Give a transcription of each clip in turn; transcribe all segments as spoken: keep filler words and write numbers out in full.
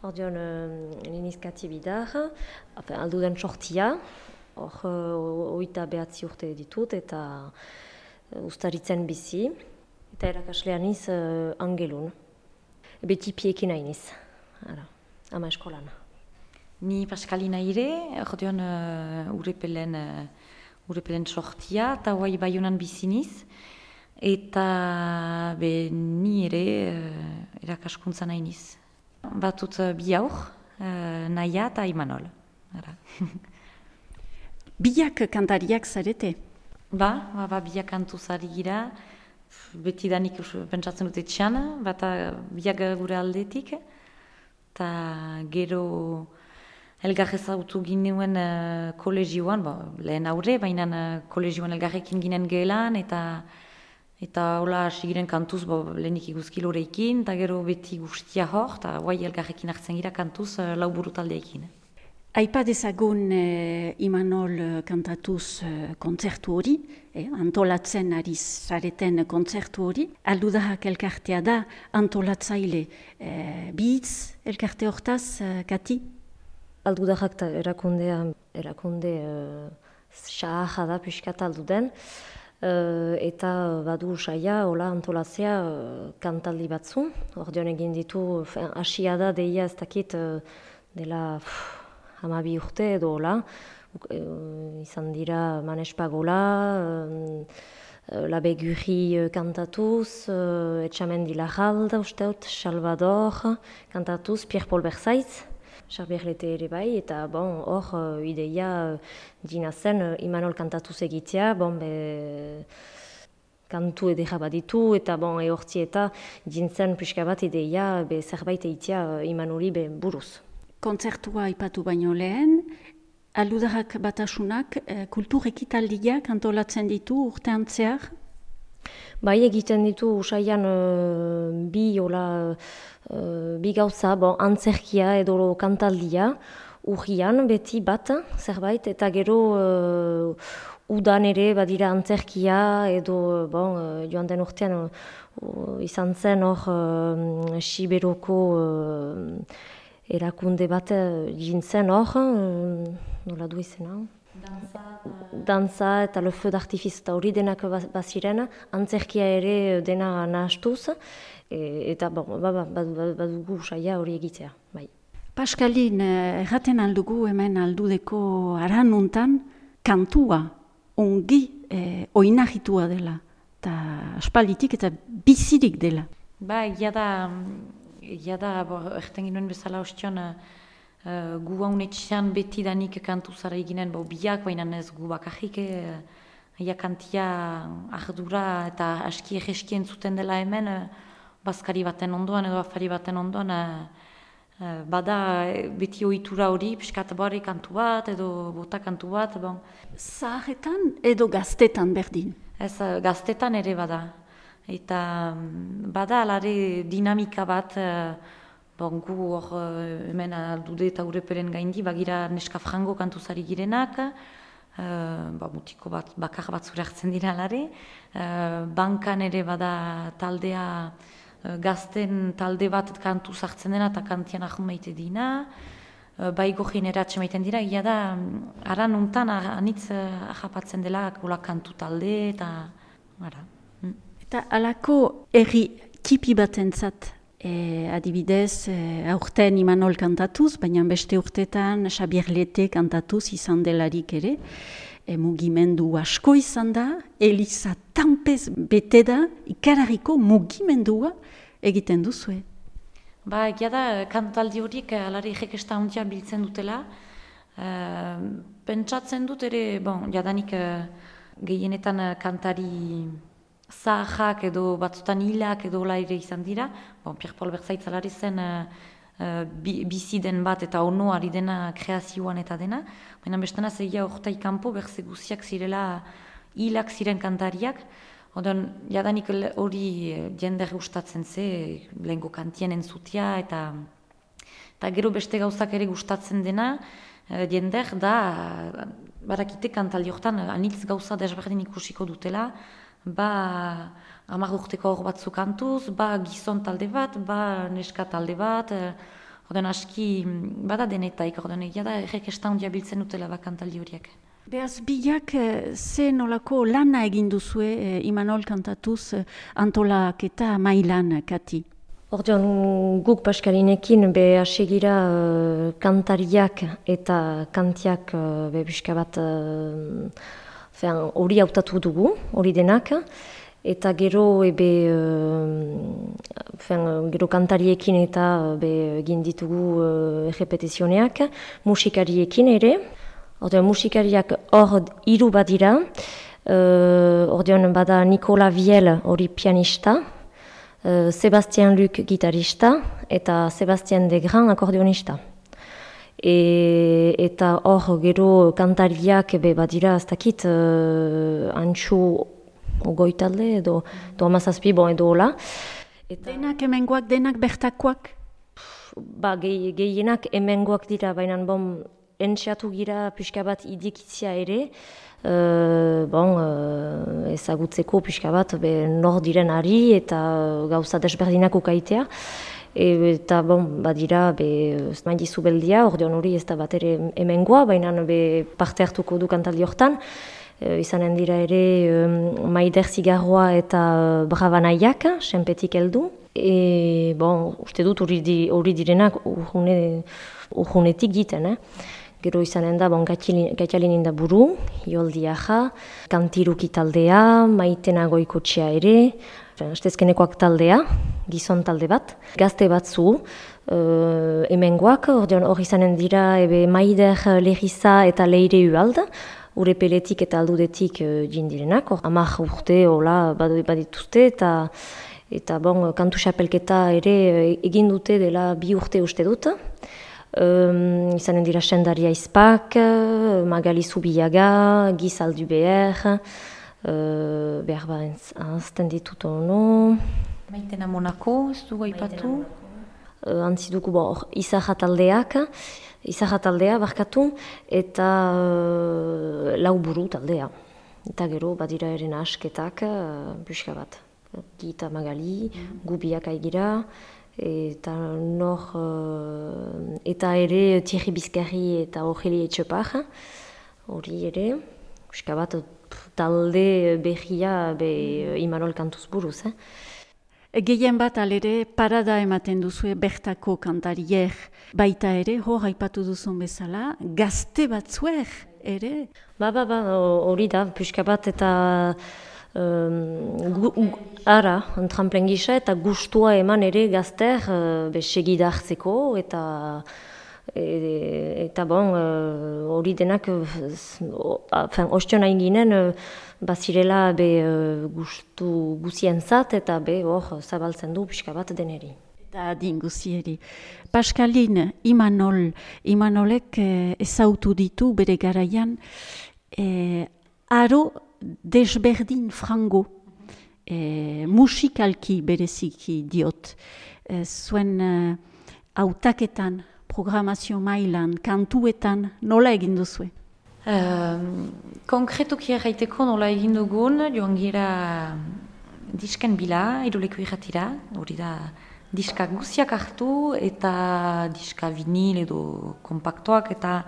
Ordeon, Ninizkati bidar, alduden sortia, hor oita behatzi urte ditut eta ustaritzen bizi, eta erakaslean iz angelun. Beti piekin hainiz, ama eskolan. Ni Paskalina ire, ordeon uh, urepelen, uh, urepelen sortia, eta guai Baionan biziniz, eta be ni ere uh, erakaskuntza nainiz. Batut uh, bi aur, uh, Naia eta Imanol. Biak kantariak zarete? Ba, ba, ba biak kantu zari gira, beti danik pentsatzen dute txan, bata biak gure aldetik, eta gero elgar ezautu ginuen uh, kolegioan, bo, lehen aurre, baina uh, kolegioan elgarrekin ginen gehelan, eta eta hola hasi giren kantuz, bo, lehenik iguzkiloreikin, eta gero beti guztia hor, eta guai elgarrekin hartzen gira kantuz uh, lau buru taldeekin. Aipa dezagun eh, Imanol kantatuz eh, kontzertu hori, eh, antolatzen ari zareten kontzertu hori. Aldudahak elkartea da antolatzaile eh, bihitz elkarte hortaz, eh, Kati? Aldudahak erakundea, erakunde uh, xaha da piskat alduden, uh, eta badu saia, hola antolatzea uh, kantaldi batzu. Ordeon egin ditu, hasia da deia ez dakit uh, dela... Pff, hamabi urte edo hola, e, izan dira Manespagola, e, Labegurri kantatuz, e, Etxamendi Larralda, usteut, Salvador kantatuz, Pierre-Paul Berzaitz, Xarbierlete ere bai, eta bon, hor ideia dina zen Imanol kantatuz egitea, bon, be, kantu edera baditu, eta bon, ehortzi eta dintzen pixka bat ideia be, zerbait egitea Imanoli be, buruz. Kontzertua aipatu baino lehen, Aldudarrak batasunak eh, kultur ekitaldiak antolatzen ditu urtean zehar? Bai, egiten ditu usaian uh, bi, ola, uh, bi gauza, bon, antzerkia edo kantaldia, urrian beti bat, zerbait, eta gero uh, udan ere badira antzerkia edo bon, uh, joan den urtean uh, izan zen hor uh, Siberoko uh, erakunde bat jintzen hor, nola du izena? Danza, Danza eta le feu d'artifice eta hori denak baziren, antzerkia ere dena nahastuz, e, eta bon, badugu saia hori egitea. Bai. Paskalin, erraten aldugu hemen aldudeko aranuntan, kantua ongi eh, oinahitua dela, eta aspalditik eta bizirik dela. Ba, egia da... Egia da, erten ginoen bezala ostion, uh, gu haunetxean beti danik kantu zara eginen, bo biak, baina ez gu bakarrik, aia kantia ardura eta aski egeski entzuten dela hemen, uh, bazkari baten ondoan edo afari baten ondoan, uh, uh, bada beti ohitura hori, piskat bari kantu bat edo bota kantu bat. Bon. Zaharretan edo gaztetan berdin? Ez, uh, gaztetan ere bada. Eta bada alare dinamika bat, bon, gu hor hemen aldude eta ureperen gaindi, bagira neska frango kantuzari girenak, uh, ba, mutiko bat, bakar bat zure hartzen dira alare, uh, bankan ere bada taldea, uh, gazten talde bat kantuz hartzen dena eta kantian ahun maite dina, uh, baigo generatxe maiten dira, egia da, aran untan anitz uh, ahapatzen dela kola kantu talde eta ara. Eta alako erri tipi batentzat, e, adibidez, e, aurten Imanol kantatuz, baina beste urtetan Xabierlete kantatuz izan delarik ere, e, mugimendu asko izan da, Eliza tanpez bete da, ikarariko mugimendua egiten duzue. Ba, egia da, kantaldi horiek alari jekesta hontia biltzen dutela, uh, pentsatzen dut ere, bon, jadanik uh, gehienetan uh, kantari zahak edo batzutan hilak edo hola ere izan dira. Bon, Pierre-Paul Berzaitz alari zen uh, uh, bizi den bat eta ono ari dena kreazioan eta dena. Baina bestena zegia orta ikampo berze guziak zirela hilak ziren kantariak. Odon, jadanik hori jender gustatzen ze, lehenko kantien entzutia eta, eta gero beste gauzak ere gustatzen dena, jender da, barakite kantaldi hortan anitz gauza desberdin ikusiko dutela, ba hamar urteko hor batzu kantuz, ba gizon talde bat, ba neska talde bat, Ordean aski bada denetaik, ordean egia da errekesta handia biltzen dutela bakantaldi horiek. Beaz, bilak ze nolako lana egin duzue eh, Imanol kantatuz eh, antolaketa mailan, Kati? Ordean guk Paskalinekin be hasegira uh, kantariak eta kantiak uh, be pixka bat hori uh, hautatu dugu, hori denak. Eta gero ebe uh, fen, gero kantariekin eta be egin ditugu uh, errepetizioneak, musikariekin ere. Ordean musikariak hor hiru bat dira, uh, ordean bada Nicola Viel hori pianista, uh, Sebastien Luc gitarista eta Sebastien Degran akordionista. E, eta hor gero kantariak be badira ez dakit uh, antxu ogoi talde edo, edo amazazpi bon edo hola. Eta, denak hemengoak, denak bertakoak? Ba, gehienak hemengoak dira, baina bon, entxeatu gira pixka bat idikitzia ere, uh, bon, uh, ezagutzeko pixka bat be, nor diren ari eta gauza desberdinak ukaitea. E, eta bon, badira, be, maidizu beldia, ordeon hori ez da bat ere hemengoa, baina be, parte hartuko du kantaldi hortan. E, izanen dira ere um, Maider Zigarroa eta uh, Brabanaiak, senpetik heldu. E, bon, uste dut hori di, direnak urgune, urgunetik giten, eh? Gero izanen da, bon, Gatialinin da buru, Ioldi Aja, Kantiruki taldea, Maitena Goikotxea ere, Astezkenekoak taldea, gizon talde bat, gazte batzu, uh, hemengoak, hor izanen dira ebe Maider Legiza eta Leire Ualda, Urepeletik eta Aldudetik uh, jindirenak, hor amak urte hola badituzte eta eta bon, kantu xapelketa ere egin dute dela bi urte uste dut. Um, izanen dira Sendaria Izpak, Magali Zubiaga, Giz Alduber, uh, behar ba anzten ditut ono. Maitena Monako, ez dugu aipatu? Uh, antzi dugu bo, Izarra taldeak, Izarra taldea barkatu, eta uh, lau buru taldea. Eta gero badira eren asketak, uh, buska bat. Gita Magali, mm. Gubiak aigira, eta nor, uh, eta ere Thierry Bizkarri eta Ogeli Etxepar, hori ere, buska bat talde berria be Imanol kantuz buruz. Eh? Gehien bat alere parada ematen duzue bertako kantariek baita ere, hor aipatu duzun bezala, gazte batzuer ere? Ba, ba, ba, hori da, buska bat eta Um, gu, gu, ara, tramplen gisa eta gustua eman ere gazter uh, be segida hartzeko eta e, eta bon hori uh, denak uh, ostion hain ginen uh, bazirela be uh, gustu guzientzat eta be hor zabaltzen du pixka bat deneri. Eta adin guzieri. Paskalin, Imanol, Imanolek eh, ezautu ditu bere garaian eh, aro desberdin frango, e, musikalki bereziki diot. E, zuen hautaketan, uh, programazio mailan, kantuetan, nola egin duzue? Um, konkretuki erraiteko nola egin dugun, joan gira disken bila, iruleko irratira, hori da diskak guziak hartu eta diska vinil edo kompaktoak eta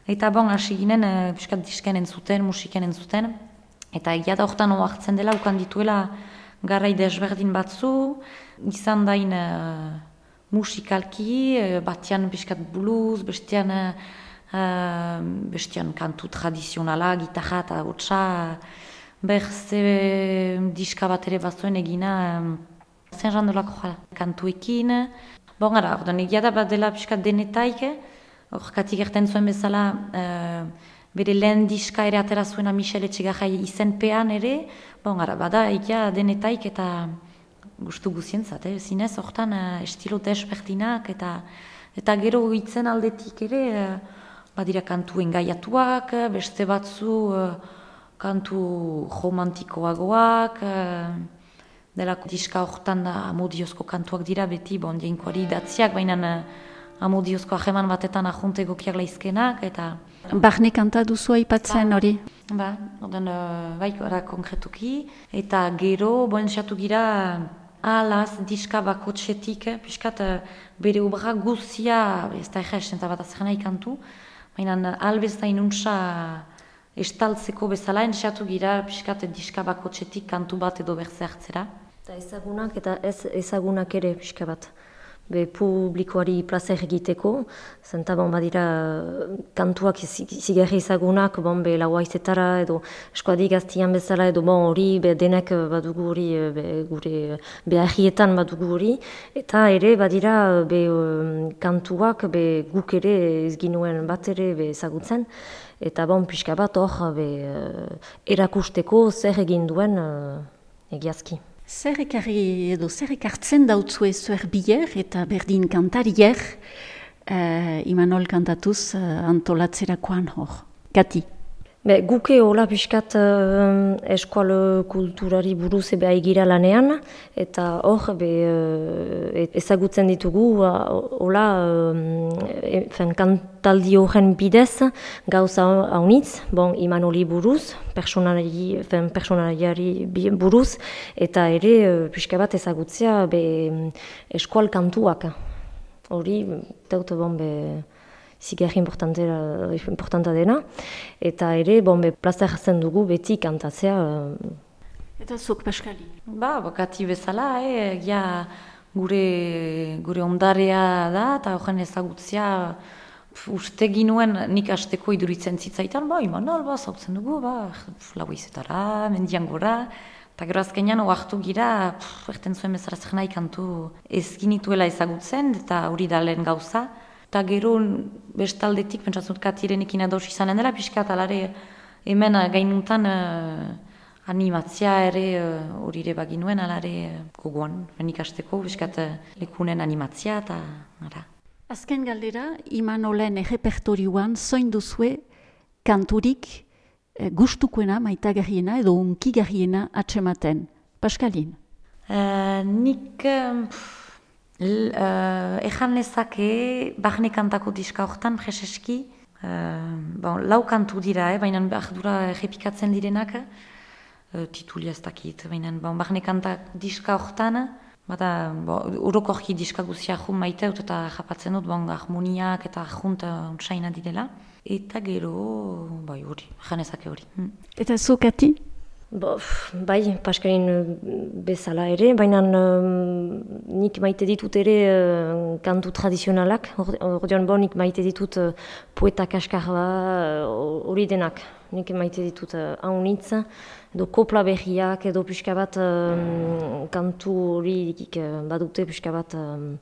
eta bon, hasi ginen, uh, piskat disken entzuten, musiken entzuten. Eta egia da horretan oartzen dela, ukan dituela garai desberdin batzu, izan dain uh, musikalki, uh, batian piskat blues, bestian, uh, bestian kantu tradizionala, gitarra eta hotza, berze diska bat ere batzuen egina, um, zen jandolako jala, kantuekin. Bon, gara, ordan egia da bat dela piskat denetaik, horrekatik erten zuen bezala, uh, bere lehen diska ere atera zuena Michel Etxegarrai izenpean ere, bon, gara, bada egia denetaik eta gustu guzientzat, eh? Zinez hortan uh, estilo desberdinak eta eta gero hitzen aldetik ere, uh, badira kantu engaiatuak, beste batzu uh, kantu romantikoagoak, uh, delako diska hortan da amodiozko kantuak dira beti, bon, jainkoari idatziak, baina uh, amodiozko aheman batetan ahonte gokiak laizkenak, eta Barne kanta duzu aipatzen hori? Ba, ordan, uh, bai, gara konkretuki, eta gero, boen xatu gira, alaz diska bakotxetik, piskat bere obra guzia, ez da egesen eta bat azken nahi kantu, baina albez da inuntza estaltzeko bezala, enxatu gira piskat diska bakotxetik kantu bat edo berze hartzera. Eta ezagunak eta ez ezagunak ere pixka bat. Be publikoari plazer egiteko, zenta bon badira kantuak zigarri ezagunak, bon be lauaizetara edo eskoadi gaztian bezala edo bon hori be denek badugu hori be, gure beharrietan badugu hori, eta ere badira be kantuak be guk ere ez ginuen bat ere be ezagutzen, eta bon pixka bat hor be erakusteko zer egin duen egiazki. Zer ekarri edo zer ekartzen dautzue zuer bier eta berdin kantarier uh, Imanol kantatuz uh, antolatzerakoan hor. Kati? Be, guke hola pixkat uh, eskual kulturari buruz ebe aigira lanean, eta hor be, uh, ezagutzen ditugu hola uh, fen kantaldi horren bidez gauza haunitz, bon, Imanoli buruz, personalari, fen personaliari buruz, eta ere uh, pixka bat ezagutzea be, eskual kantuak. Hori, deut bon be, zigarri importanta dena, eta ere, bon, be, plaza jartzen dugu beti kantatzea. Eta zuk, Paskali? Ba, bakati bezala, eh, ja, gure, gure ondarea da, eta horren ezagutzea, uste ginuen nik hasteko iduritzen zitzaitan, ba, Imanol, ba, zautzen dugu, ba, lauizetara, mendian gora, eta gero azkenean oartu gira, erten zuen bezarazak nahi kantu ez ginituela ezagutzen, eta hori da lehen gauza. Eta gero bestaldetik, pentsatzen dut Katirenekin ados izanen dela, pixkat alare hemen gainuntan uh, animatzia ere hori uh, ere baginuen, alare uh, gogoan, ikasteko, pixkat uh, lekunen animatzia eta ara. Azken galdera, Imanolen errepertorioan zoin duzue kanturik eh, gustukoena, maitagarriena edo unkigarriena atsematen. Paskalin? Uh, nik... Um, Uh, Ejan lezake, bahne kantako diska horretan, preseski, uh, bon, lau kantu dira, eh, baina ardura errepikatzen direnak, uh, titulia ez dakit, baina bon, bahne kantak diska horretan, bada, bon, orokorki diska guzia jun maite dut eta japatzen dut, bon, harmoniak eta junt untsaina direla, eta gero, bai hori, ejan lezake hori. Hmm. Eta zu, Kati? Bo, bai, Paskalin bezala ere, baina um, nik maite ditut ere uh, kantu tradizionalak, ordean bo nik maite ditut uh, poeta kaskarba hori uh, denak. Nik maite ditut uh, haunitz, edo kopla berriak, edo pixka bat um, kantu hori uh, badute pixka bat um,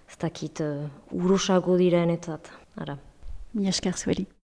ez dakit uh, urosago diren etzat. Ara. Mi esker zueri.